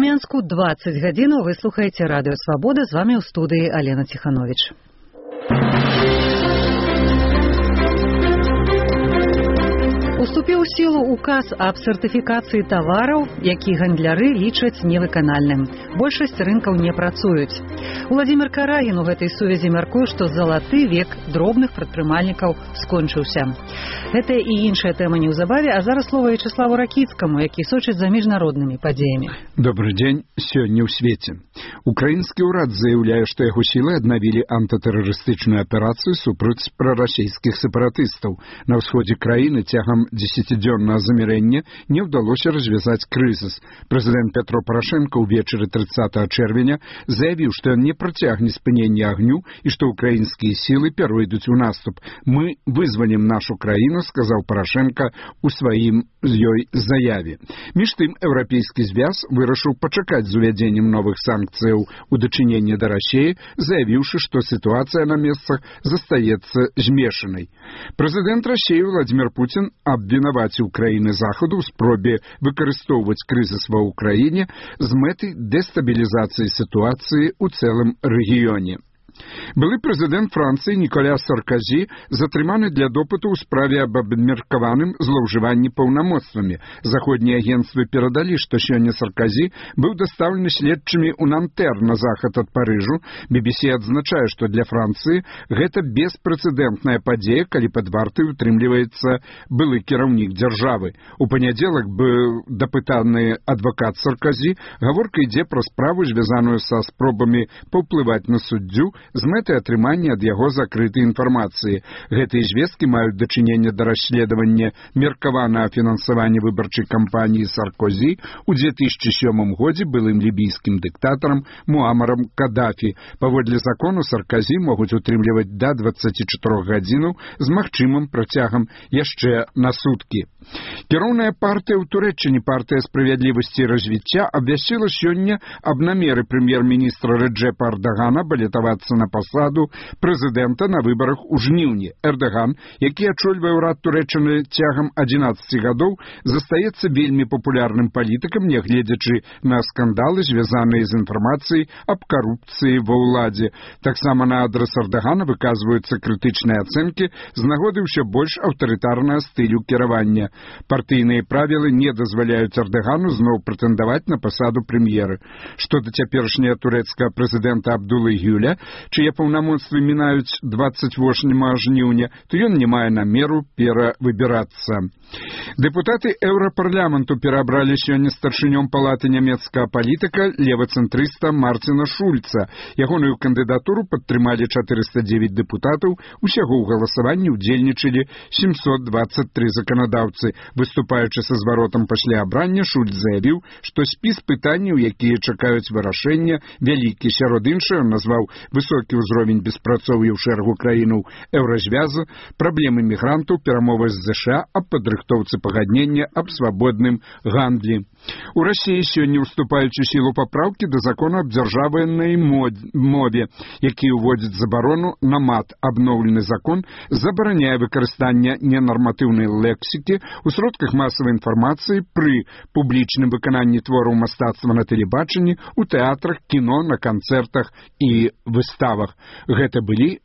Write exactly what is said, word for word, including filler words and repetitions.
Менску двадцать гадзінаў вы слухаеце радыё Свабода, з вами ў студыі Алена Ціхановіч. Уступіў у сілу указ аб сертыфікацыі тавараў, які гандляры лічаць невыканальным. Большасць рынкаў не працуюць. Уладзімір Карагін у гэтай сувязі мяркуе, што залаты век дробных прадпрымальнікаў скончыўся. Гэта і іншая тэма неўзабаве, а зараз слова Вячеславу Ракіцкаму, які сочыць за міжнароднымі падзеямі. Добрый дзень. Сёння ў свеце. Украінскі ўрад заяўляе, што яго сілы аднавілі антытэрарыстычную аперацыю супраць прарасійскіх сепаратыстаў. На ўсходзе краіны цягам дзесяцідзённага замірэння не ўдалося развязаць крызіс. Прэзідэнт Петро Парашенко ўвечары трыццатага чэрвеня заявіў, што ён не працягне спынення агню і што украінскія сілы перайдуць у наступ. Мы вызвалім нашу краіну, сказаў Парашенко у сваім з ёй заяве. Між тым, еўрапейскі звяз вырашыў пачакаць з увядзеннем новых санкцыяў у дачыненні да Расіі, заявіўшы, што сітуацыя на месцах застаецца змешанай. Прэзідэнт Расіі Владзімір Пуцін абвінаваціў краіны Захаду ў спробе выкарыстоўваць крызіс ва ўкраіне з мэтай дэстабілізацыі сітуацыі ў цэлым рэгіёне. Былы прэзідэнт Францыі Ніколя Сарказі затрыманы для допыту ў справе аб абмеркаваным злоўжыванні паўнамоцтвамі. Заходнія агенцтвы перадалі, што сёння Сарказі быў дастаўлены следчымі ў Нантэр на захад ад Парыжу. би би си адзначае, што для Францыі гэта беспрэцэдэнтная падзея, калі пад вартай утрымліваецца былы кіраўнік дзяржавы. У панядзелак быў дапытаны адвакат Сарказі. Гаворка ідзе пра справу, звязаную са спробамі паўплываць на суддзю з мэтай атрымання ад яго закрытай інфармацыі. Гэтыя звесткі маюць дачыненне да расследавання меркаванага фінансавання выбарчай кампаніі Саркозі ў дзве тысячы сёмым годзе былым лібійскім дыктатарам Муамарам Кадафі. Паводле закону Сарказі могуць утрымліваць да дваццаці чатырох гадзінаў з магчымым працягам яшчэ на суткі. Кіроўная партыя ў Турэччыне, партыя справядлівасці і развіцця, абвясціла сёння аб намеры прэм'ер-міністра Рэджэпа Эрдагана балетавацца на пасаду прэзідэнта на выбарах у жніўні. Эрдаган, які ачольвае ўрад Турэччыны цягам адзінаццаці гадоў, застаецца вельмі папулярным палітыкам, нягледзячы на скандалы, звязаныя з інфармацыяй аб карупцыі ва ўладзе. Таксама на адрас Эрдагана выказваюцца крытычныя ацэнкі з нагоды ўсё больш аўтарытарнага стылю кіравання. Партыйныя правілы не дазваляюць Эрдагану зноў прэтэндаваць на пасаду прэм'ера. Што да цяперашняга турэцкага прэзідэнта Абдулы Гюля, чые паўнамоцтвы мінаюць дваццаць восьмага жніўня, то ён не мае намеру перавыбірацца. Дэпутаты еўрапарламенту перабралі сёння старшынём палаты нямецкага палітыка левацэнтрыста Марціна Шульца. Ягоную кандыдатуру падтрымалі чатырыста дзевяць дэпутатаў, усяго ў галасаванні ўдзельнічалі сямсот дваццаць тры заканадаўцы. Выступаючы са зваротам пасля абрання, Шульц заявіў, што спіс пытанняў, якія чакаюць вырашэння, вялікі. Сярод іншага назваў высокі ўзровень беспрацоўя ў шэрагу краінаў еўразвяза, праблемы мігрантаў, перамовы з ЗША аб падрыхтоўцы пагаднення аб свабодным гандлі. У Расіі сёння ўступаюць у сілу папраўкі да закону аб дзяржаўнай мове, які ўводзіць забарону на мат. Абноўлены закон забараняе выкарыстанне ненарматыўнай лексікі ў сродках масавай інфармацыі пры публічным выкананні твораў мастацтва на тэлебачанні, у тэатрах, кіно, на канцэртах і выставах. Гэта былі